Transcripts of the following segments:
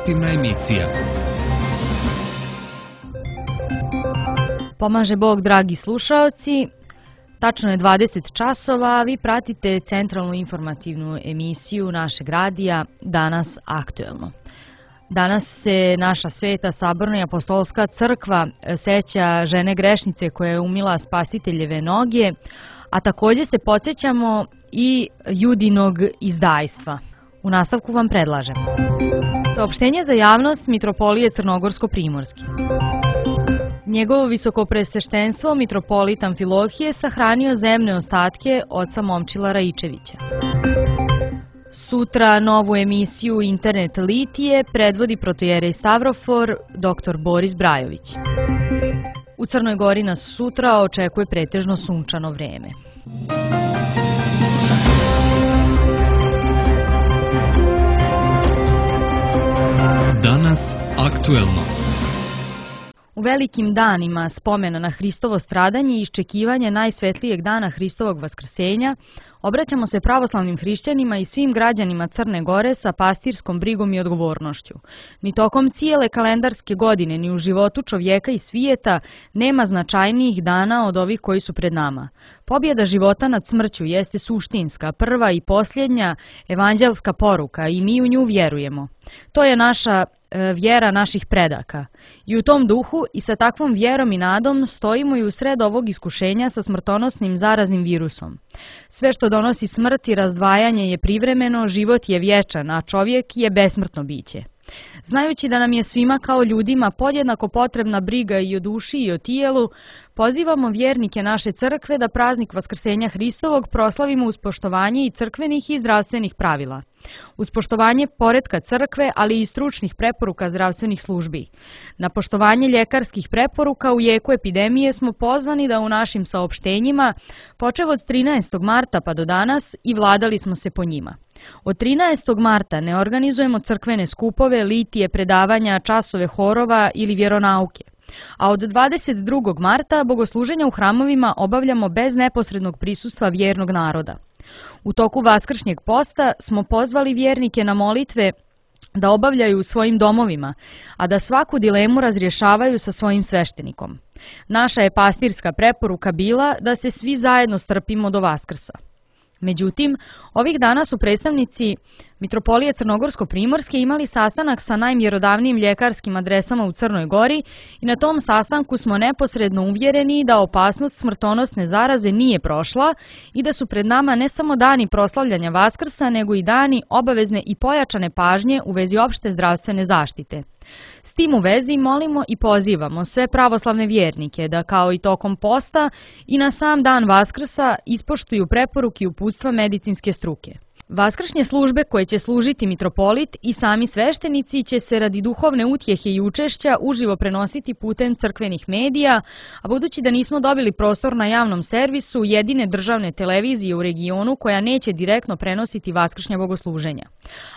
informativna emisija. Pomaže Bog, dragi slušaoci. Tačno je 20 časova, a vi pratite centralnu informativnu emisiju našeg radija Danas aktuelno. Danas se naša sveta saborna i apostolska crkva seća žene grešnice koja je umila Spasiteljeve noge, a također se podsjećamo i Judinog izdajstva. U nastavku vam predlažem saopštenje za javnost Mitropolije Crnogorsko-Primorske. Njegovo visokopresveštenstvo mitropolit Amfilohije sahranio zemne ostatke oca Momčila Raičevića. Sutra novu emisiju Internet Litije predvodi protojerej Stavrofor dr. Boris Brajović. U Crnoj Gori nas sutra očekuje pretežno sunčano vreme. Danas aktuelno. U velikim danima spomena na Hristovo stradanje i iščekivanje najsvetlijeg dana Hristovog vaskrsenja, obraćamo se pravoslavnim hrišćanima i svim građanima Crne Gore sa pastirskom brigom i odgovornošću. Ni tokom cijele kalendarske godine, ni u životu čovjeka i svijeta nema značajnijih dana od ovih koji su pred nama. Pobjeda života nad smrću jeste suštinska, prva i posljednja evanđelska poruka i mi u nju vjerujemo. To je naša vjera naših predaka. I u tom duhu i sa takvom vjerom i nadom stojimo i u sred ovog iskušenja sa smrtonosnim zaraznim virusom. Sve što donosi smrt i razdvajanje je privremeno, život je vječan, a čovjek je besmrtno biće. Znajući da nam je svima kao ljudima podjednako potrebna briga i o duši i o tijelu, pozivamo vjernike naše crkve da praznik Vaskrsenja Hristovog proslavimo uz poštovanje i crkvenih i zdravstvenih pravila. Uz poštovanje poretka crkve, ali i stručnih preporuka zdravstvenih službi. Na poštovanje ljekarskih preporuka u jeku epidemije smo pozvani da u našim saopštenjima, počev od 13. marta pa do danas, i vladali smo se po njima. Od 13. marta ne organizujemo crkvene skupove, litije, predavanja, časove horova ili vjeronauke. A od 22. marta bogosluženja u hramovima obavljamo bez neposrednog prisustva vjernog naroda. U toku vaskršnjeg posta smo pozvali vjernike na molitve da obavljaju u svojim domovima, a da svaku dilemu razrješavaju sa svojim sveštenikom. Naša je pastirska preporuka bila da se svi zajedno strpimo do Vaskrsa. Međutim, ovih dana su predstavnici Mitropolije Crnogorsko-Primorske imali sastanak sa najmjerodavnijim ljekarskim adresama u Crnoj Gori i na tom sastanku smo neposredno uvjereni da opasnost smrtonosne zaraze nije prošla i da su pred nama ne samo dani proslavljanja Vaskrsa, nego i dani obavezne i pojačane pažnje u vezi opšte zdravstvene zaštite. S tim u vezi molimo i pozivamo sve pravoslavne vjernike da kao i tokom posta i na sam dan Vaskrsa ispoštuju preporuke i uputstva medicinske struke. Vaskršnje službe koje će služiti mitropolit i sami sveštenici će se radi duhovne utjehe i učešća uživo prenositi putem crkvenih medija, a budući da nismo dobili prostor na javnom servisu jedine državne televizije u regionu koja neće direktno prenositi vaskršnja bogosluženja.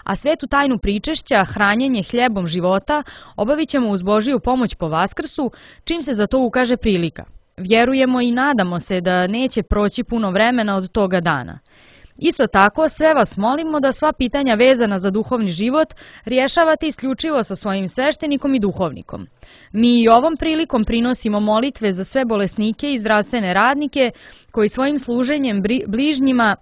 A svetu tajnu pričešća, hranjenje hljebom života, obavit ćemo uz Božiju pomoć po Vaskrsu, čim se za to ukaže prilika. Vjerujemo i nadamo se da neće proći puno vremena od toga dana. Isto tako, sve vas molimo da sva pitanja vezana za duhovni život rješavate isključivo sa svojim sveštenikom i duhovnikom. Mi i ovom prilikom prinosimo molitve za sve bolesnike i zdravstvene radnike koji svojim služenjem bližnjima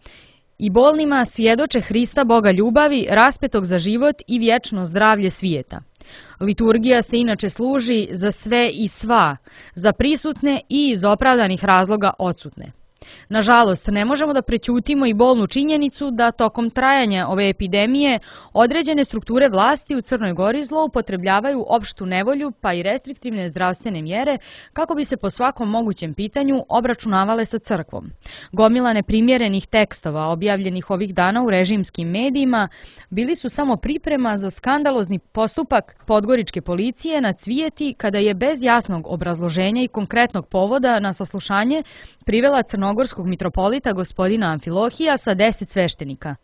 i bolnima svjedoče Hrista Boga ljubavi, raspetog za život i vječno zdravlje svijeta. Liturgija se inače služi za sve i sva, za prisutne i iz opravdanih razloga odsutne. Nažalost, ne možemo da prećutimo i bolnu činjenicu da tokom trajanja ove epidemije određene strukture vlasti u Crnoj Gori zloupotrebljavaju opštu nevolju pa i restriktivne zdravstvene mjere kako bi se po svakom mogućem pitanju obračunavale sa crkvom. Gomila neprimjerenih tekstova objavljenih ovih dana u režimskim medijima bili su samo priprema za skandalozni postupak podgoričke policije na Cvijeti kada je bez jasnog obrazloženja i konkretnog povoda na saslušanje privela crnogorskog mitropolita gospodina Amfilohija sa 10 sveštenika.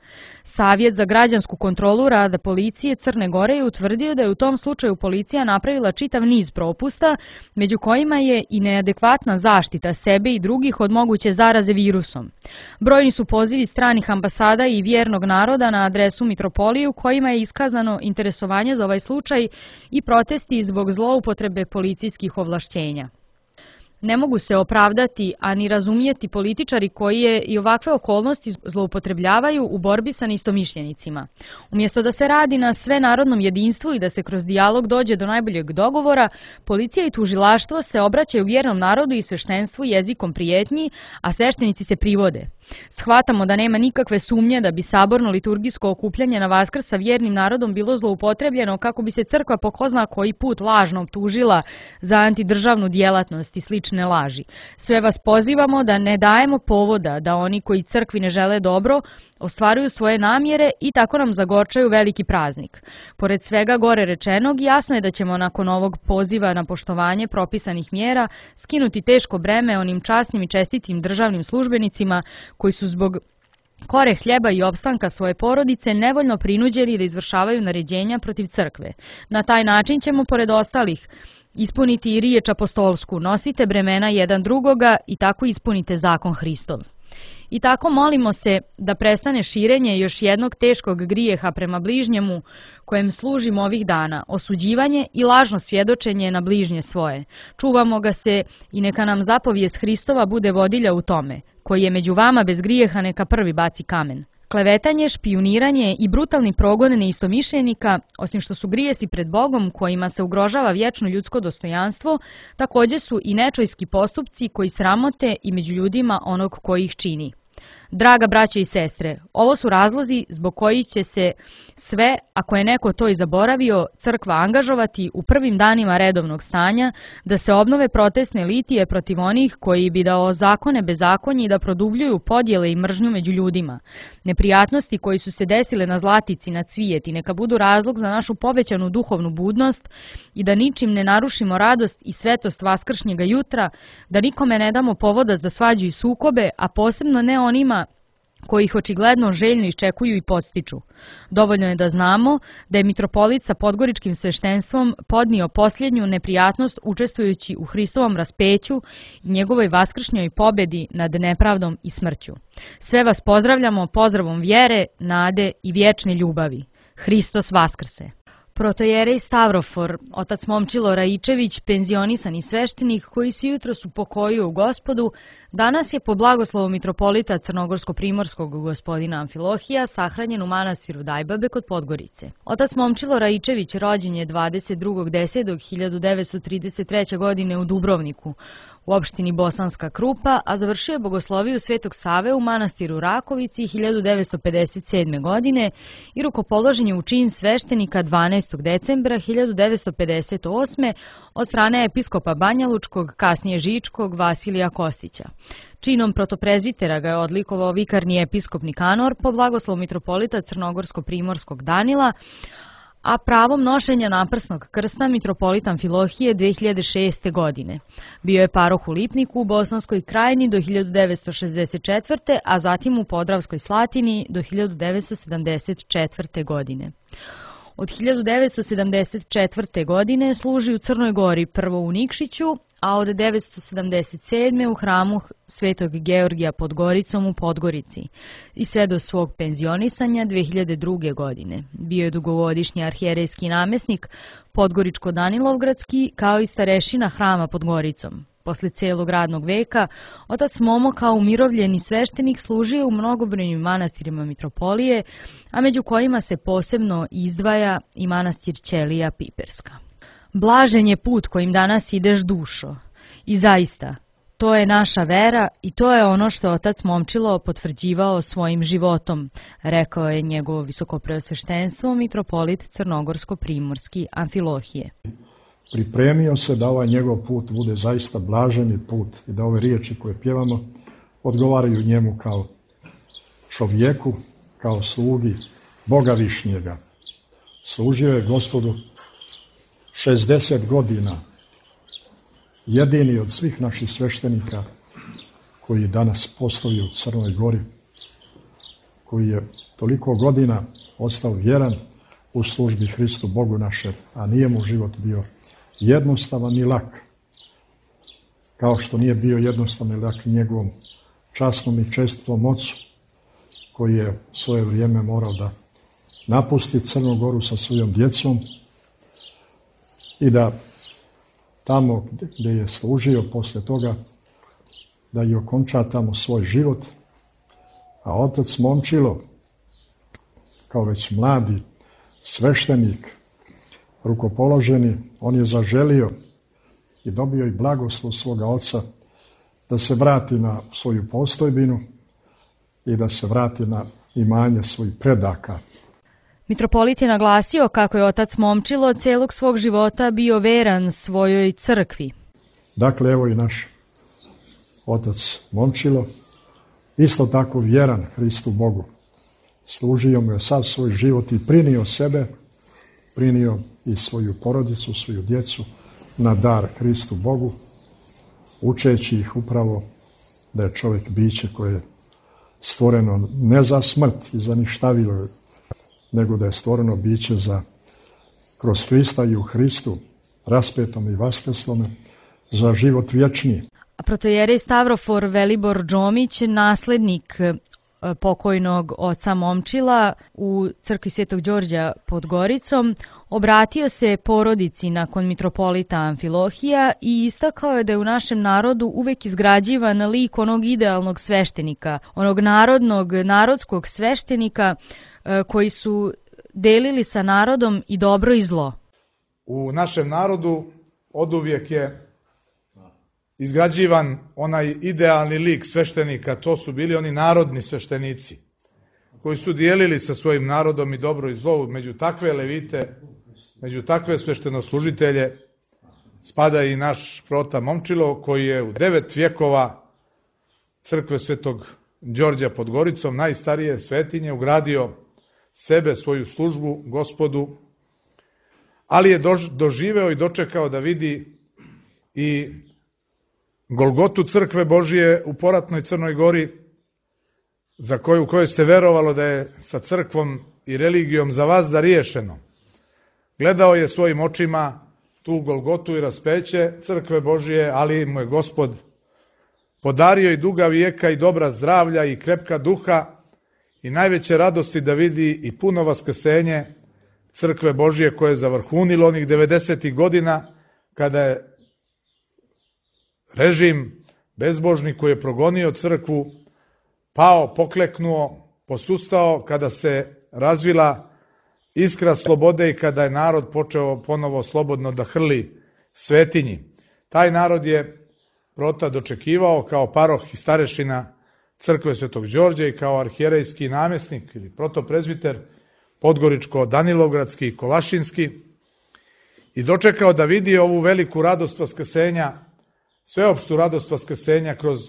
Savjet za građansku kontrolu rada policije Crne Gore je utvrdio da je u tom slučaju policija napravila čitav niz propusta, među kojima je i neadekvatna zaštita sebe i drugih od moguće zaraze virusom. Brojni su pozivi stranih ambasada i vjernog naroda na adresu mitropoliju kojima je iskazano interesovanje za ovaj slučaj i protesti zbog zloupotrebe policijskih ovlašćenja. Ne mogu se opravdati, a ni razumijeti političari koji je i ovakve okolnosti zloupotrebljavaju u borbi sa neistomišljenicima. Umjesto da se radi na svenarodnom jedinstvu i da se kroz dijalog dođe do najboljeg dogovora, policija i tužilaštvo se obraćaju vjernom narodu i sveštenstvu jezikom prijetnji, a sveštenici se privode. Shvatamo da nema nikakve sumnje da bi saborno liturgijsko okupljanje na Vaskrs sa vjernim narodom bilo zloupotrebljeno kako bi se crkva po ko zna koji put lažno optužila za antidržavnu djelatnost i slične laži. Sve vas pozivamo da ne dajemo povoda da oni koji crkvi ne žele dobro ostvaruju svoje namjere i tako nam zagorčaju veliki praznik. Pored svega gore rečenog, jasno je da ćemo nakon ovog poziva na poštovanje propisanih mjera skinuti teško breme onim časnim i čestitim državnim službenicima koji su zbog kore hljeba i opstanka svoje porodice nevoljno prinuđeni da izvršavaju naređenja protiv crkve. Na taj način ćemo, pored ostalih, ispuniti i riječ apostolsku, nosite bremena jedan drugoga i tako ispunite zakon Hristov. I tako molimo se da prestane širenje još jednog teškog grijeha prema bližnjemu kojem služimo ovih dana, osuđivanje i lažno svjedočenje na bližnje svoje. Čuvamo ga se i neka nam zapovijest Hristova bude vodilja u tome, koji je među vama bez grijeha neka prvi baci kamen. Klevetanje, špijuniranje i brutalni progon neistomišljenika, osim što su grijesi pred Bogom kojima se ugrožava vječno ljudsko dostojanstvo, također su i nečojski postupci koji sramote i među ljudima onog koji ih čini. Draga braće i sestre, ovo su razlozi zbog kojih će se sve, ako je neko to i zaboravio, crkva angažovati u prvim danima redovnog stanja da se obnove protestne litije protiv onih koji bi da ozakone bezakonje i da produbljuju podjele i mržnju među ljudima. Neprijatnosti koji su se desile na Zlatici, na Cvijeti, neka budu razlog za našu povećanu duhovnu budnost i da ničim ne narušimo radost i svetost vaskršnjega jutra, da nikome ne damo povoda za svađu i sukobe, a posebno ne onima koji ih očigledno željno iščekuju i podstiču. Dovoljno je da znamo da je mitropolit sa podgoričkim sveštenstvom podnio posljednju neprijatnost učestvujući u Hristovom raspeću i njegovoj vaskršnjoj pobjedi nad nepravdom i smrću. Sve vas pozdravljamo pozdravom vjere, nade i vječne ljubavi. Hristos vaskrse! Protojerej Stavrofor, otac Momčilo Raičević, penzionisani sveštenik koji se jutros upokojio u Gospodu, danas je po blagoslovu mitropolita crnogorsko-primorskog gospodina Amfilohija sahranjen u manastiru Dajbabe kod Podgorice. Otac Momčilo Raičević rođen je 22.10.1933. godine u Dubrovniku, u opštini Bosanska Krupa, a završio je bogosloviju Svetog Save u manastiru Rakovici 1957. godine i rukopoložen je u čin sveštenika 12. decembra 1958. od strane episkopa Banjalučkog, kasnije Žičkog, Vasilija Kostića. Činom protoprezbitera ga je odlikovao vikarni episkop Nikanor po blagoslovu mitropolita crnogorsko-primorskog Danila, a pravom nošenja naprsnog krsta mitropolit Amfilohije 2006. godine. Bio je paroh u Lipniku u Bosanskoj krajini do 1964. a zatim u Podravskoj Slatini do 1974. godine. Od 1974. godine služi u Crnoj Gori, prvo u Nikšiću, a od 1977. u hramu Svetog Georgija pod Goricom u Podgorici i sve do svog penzionisanja 2002. godine. Bio je dugogodišnji arhijerejski namjesnik Podgoričko-Danilovgradski kao i starešina hrama pod Goricom. Posle cijelog radnog veka, otac Momo kao umirovljeni sveštenik služio u mnogobrojnim manastirima mitropolije, a među kojima se posebno izdvaja i manastir Ćelija Piperska. Blažen je put kojim danas ideš, dušo, i zaista, to je naša vera i to je ono što otac Momčilo potvrđivao svojim životom, rekao je njegovo visokopreosveštenstvo mitropolit crnogorsko-primorski Amfilohije. Pripremio se da ovaj njegov put bude zaista blaženi put i da ove riječi koje pjevamo odgovaraju njemu kao čovjeku, kao slugi Boga Višnjega. Služio je Gospodu 60 godina, jedini od svih naših sveštenika koji danas postoji u Crnoj Gori, koji je toliko godina ostao vjeran u službi Hristu Bogu našem, a nije mu život bio jednostavan i lak, kao što nije bio jednostavan i lak njegovom časnom i čestitom ocu koji je svoje vrijeme morao da napusti Crnu Goru sa svojom djecom i da tamo gdje je služio posle toga da i okonča tamo svoj život, a otac Momčilo kao već mladi sveštenik, rukopoloženi, on je zaželio i dobio i blagoslov svoga oca da se vrati na svoju postojbinu i da se vrati na imanje svojih predaka. Mitropolit je naglasio kako je otac Momčilo celog svog života bio veran svojoj crkvi. Dakle, evo i naš otac Momčilo, isto tako vjeran Hristu Bogu. Služio mu je sav svoj život i prinio sebe, prinio i svoju porodicu, svoju djecu na dar Hristu Bogu, učeći ih upravo da je čovjek biće koje je stvoreno ne za smrt i za ništavilo, nego da je stvoreno biće za kroz Hrista i u Hristu, raspetom i vaskrslome, za život vječni. Protojerej Stavrofor Velibor Džomić, naslednik pokojnog oca Momčila u crkvi Svetog Đorđa pod Goricom, obratio se porodici nakon mitropolita Amfilohija i istakao je da je u našem narodu uvek izgrađivan lik onog idealnog sveštenika, onog narodskog sveštenika koji su delili sa narodom i dobro i zlo. U našem narodu oduvijek je izgrađivan onaj idealni lik sveštenika, to su bili oni narodni sveštenici, koji su dijelili sa svojim narodom i dobro i zlo. Među takve levite, među takve sveštenoslužitelje spada i naš prota Momčilo, koji je u 9 vjekova crkve Svetog Đorđa pod Goricom, najstarije svetinje, ugradio sebe, svoju službu Gospodu, ali je doživeo i dočekao da vidi i Golgotu crkve Božije u poratnoj Crnoj Gori, za koju se verovalo da je sa crkvom i religijom za vas zariješeno. Gledao je svojim očima tu Golgotu i raspeće crkve Božije, ali mu je Gospod podario i duga vijeka i dobra zdravlja i krepka duha i najveće radosti da vidi i puno vaskrsenje crkve Božije koje je zavrhunilo onih 90. godina kada je režim bezbožni koji je progonio crkvu pao, pokleknuo, posustao, kada se razvila iskra slobode i kada je narod počeo ponovo slobodno da hrli svetinji. Taj narod je prota dočekivao kao paroh i starešina crkve Svetog Đorđa i kao arhijerejski namjesnik ili protoprezbiter Podgoričko-Danilovgradski i Kolašinski i dočekao da vidi ovu veliku radost vaskrsenja, sveopštu radost vaskrsenja kroz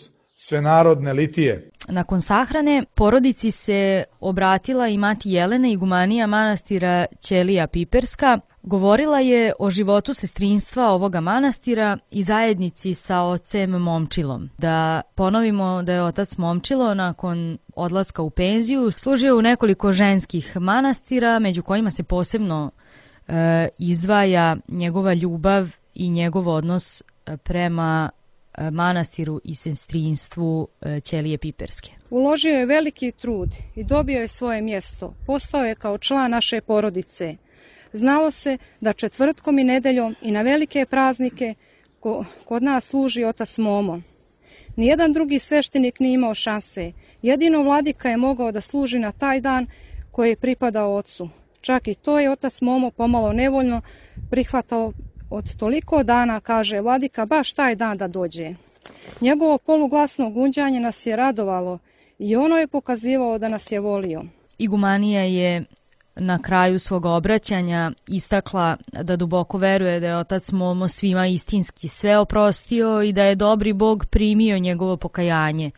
svenarodne litije. Nakon sahrane porodici se obratila i mati Jelena, igumanija manastira Ćelija Piperska. Govorila je o životu sestrinstva ovoga manastira i zajednici sa ocem Momčilom. Da ponovimo da je otac Momčilo nakon odlaska u penziju služio u nekoliko ženskih manastira, među kojima se posebno izdvaja njegova ljubav i njegov odnos prema manastiru i sestrinstvu Ćelije Piperske. Uložio je veliki trud i dobio je svoje mjesto. Postao je kao član naše porodice. Znalo se da četvrtkom i nedeljom i na velike praznike kod nas služi otac Momo. Nijedan drugi sveštenik nije imao šanse. Jedino vladika je mogao da služi na taj dan koji je pripadao ocu. Čak i to je otac Momo pomalo nevoljno prihvatao. Od toliko dana, kaže vladika, baš taj dan da dođe. Njegovo poluglasno gunđanje nas je radovalo i ono je pokazivalo da nas je volio. Igumanija je na kraju svog obraćanja istakla da duboko veruje da je otac Momo svima istinski sve oprostio i da je dobri Bog primio njegovo pokajanje,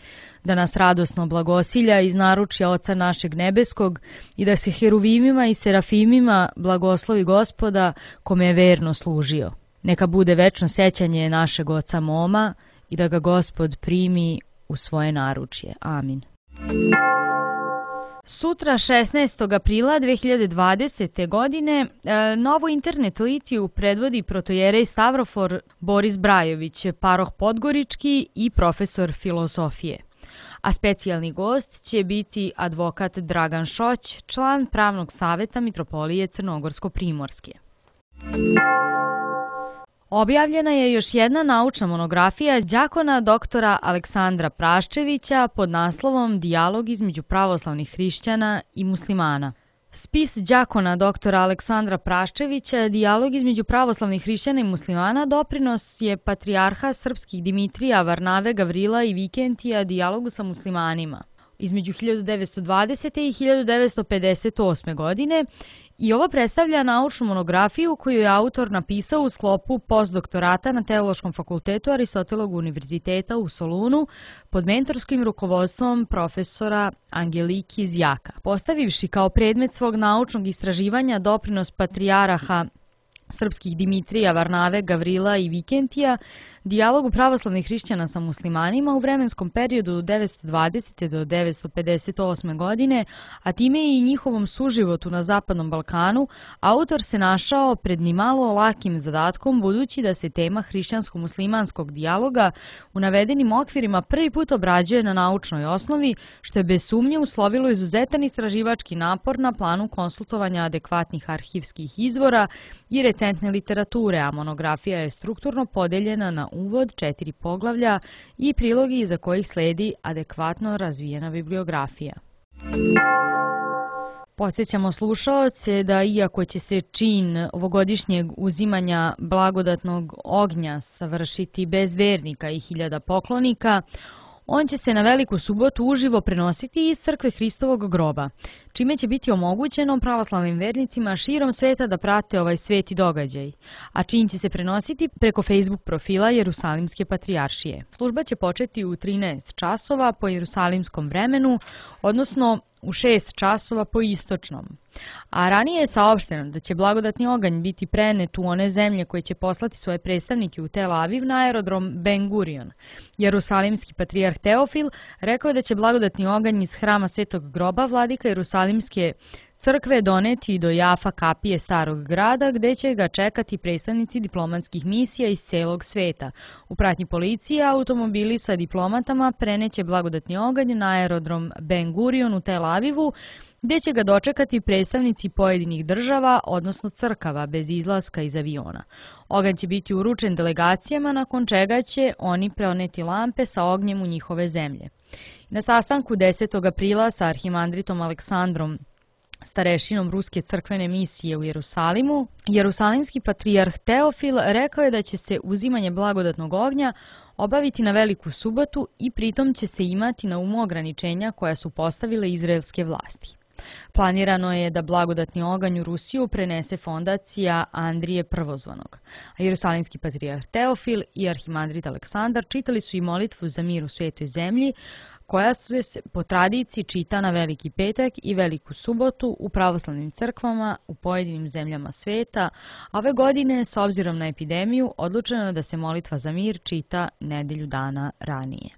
da nas radosno blagosilja iz naručja Oca našeg nebeskog i da se heruvimima i serafimima blagoslovi Gospoda kome je verno služio. Neka bude večno sećanje našeg oca Moma i da ga Gospod primi u svoje naručje. Amin. Sutra, 16. aprila 2020. godine, novu internet litiju predvodi protojerej Stavrofor Boris Brajović, paroh Podgorički i profesor filozofije. a specijalni gost će biti advokat Dragan Šoć, član Pravnog saveta Mitropolije Crnogorsko-Primorske. Objavljena je još jedna naučna monografija đakona doktora Aleksandra Praščevića pod naslovom Dijalog između pravoslavnih hrišćana i muslimana. Spis đakona doktora Aleksandra Praščevića, Dijalog između pravoslavnih hrišćana i muslimana, doprinos je patrijarha srpskih Dimitrija, Varnave, Gavrila i Vikentija dijalogu sa muslimanima između 1920. i 1958. godine. I ovo predstavlja naučnu monografiju koju je autor napisao u sklopu postdoktorata na Teološkom fakultetu Aristotelovog univerziteta u Solunu pod mentorskim rukovodstvom profesora Angeliki Zjaka. Postavivši kao predmet svog naučnog istraživanja doprinos patrijaraha srpskih Dimitrija, Varnave, Gavrila i Vikentija, dijalogu pravoslavnih hrišćana sa muslimanima u vremenskom periodu od 920. do 958. godine, a time i njihovom suživotu na Zapadnom Balkanu, autor se našao pred nimalo lakim zadatkom, budući da se tema hrišćansko-muslimanskog dijaloga u navedenim okvirima prvi put obrađuje na naučnoj osnovi, što je bez sumnje uslovilo izuzetan istraživački napor na planu konsultovanja adekvatnih arhivskih izvora i recentne literature, a monografija je strukturno podeljena na uvod, 4 poglavlja i prilogi iza kojih sledi adekvatno razvijena bibliografija. Podsjećamo slušaoce da iako će se čin ovogodišnjeg uzimanja blagodatnog ognja savršiti bez vernika i 1000 poklonika, on će se na Veliku subotu uživo prenositi iz crkve Hristovog groba, čime će biti omogućeno pravoslavnim vernicima širom sveta da prate ovaj sveti događaj, a čin će se prenositi preko Facebook profila Jerusalimske patrijaršije. Služba će početi u 13 časova po jerusalimskom vremenu, odnosno u 6 časova po istočnom. A ranije je saopšteno da će blagodatni oganj biti prenet u one zemlje koje će poslati svoje predstavnike u Tel Aviv na aerodrom Ben Gurion. Jerusalimski patrijarh Teofil rekao je da će blagodatni oganj iz hrama Svetog groba vladika Jerusalimske crkve doneti do Jafa kapije Starog grada, gde će ga čekati predstavnici diplomatskih misija iz celog sveta. U pratnji policije automobili sa diplomatama preneće blagodatni oganj na aerodrom Ben Gurion u Tel Avivu, gde će ga dočekati predstavnici pojedinih država, odnosno crkava, bez izlaska iz aviona. Oganj će biti uručen delegacijama, nakon čega će oni preneti lampe sa ognjem u njihove zemlje. Na sastanku 10. aprila sa arhimandritom Aleksandrom, starešinom Ruske crkvene misije u Jerusalimu, jerusalimski patrijarh Teofil rekao je da će se uzimanje blagodatnog ognja obaviti na Veliku subotu i pritom će se imati na umu ograničenja koja su postavile izraelske vlasti. Planirano je da blagodatni oganj u Rusiju prenese fondacija Andrije Prvozvanog, a jerusalimski patrijarh Teofil i arhimandrit Aleksandar čitali su i molitvu za mir u svetoj zemlji, koja se po tradiciji čita na Veliki petak i Veliku subotu u pravoslavnim crkvama u pojedinim zemljama sveta, a ove godine, s obzirom na epidemiju, odlučeno je da se molitva za mir čita nedelju dana ranije.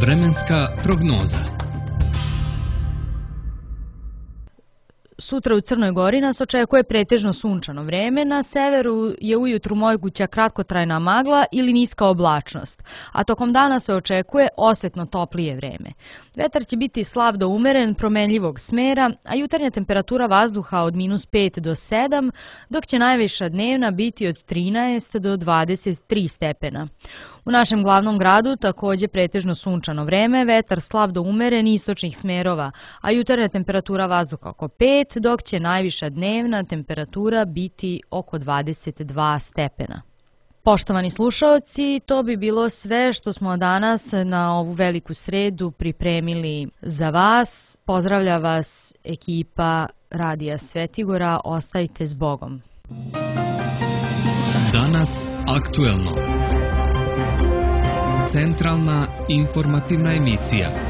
Vremenska prognoza. Sutra u Crnoj Gori nas očekuje pretežno sunčano vreme, na severu je ujutru moguća kratkotrajna magla ili niska oblačnost, a tokom dana se očekuje osetno toplije vreme. Vetar će biti slab do umeren, promenljivog smera, a jutarnja temperatura vazduha od -5 do 7, dok će najviša dnevna biti od 13 do 23 stepena. U našem glavnom gradu takođe pretežno sunčano vreme, vetar slab do umeren istočnih smerova, a jutarnja temperatura vazduha oko 5, dok će najviša dnevna temperatura biti oko 22 stepena. Poštovani slušaoci, to bi bilo sve što smo danas na ovu veliku sredu pripremili za vas. Pozdravlja vas ekipa Radija Svetigora, ostajte s Bogom. Danas aktuelno. Centralna informativna emisija.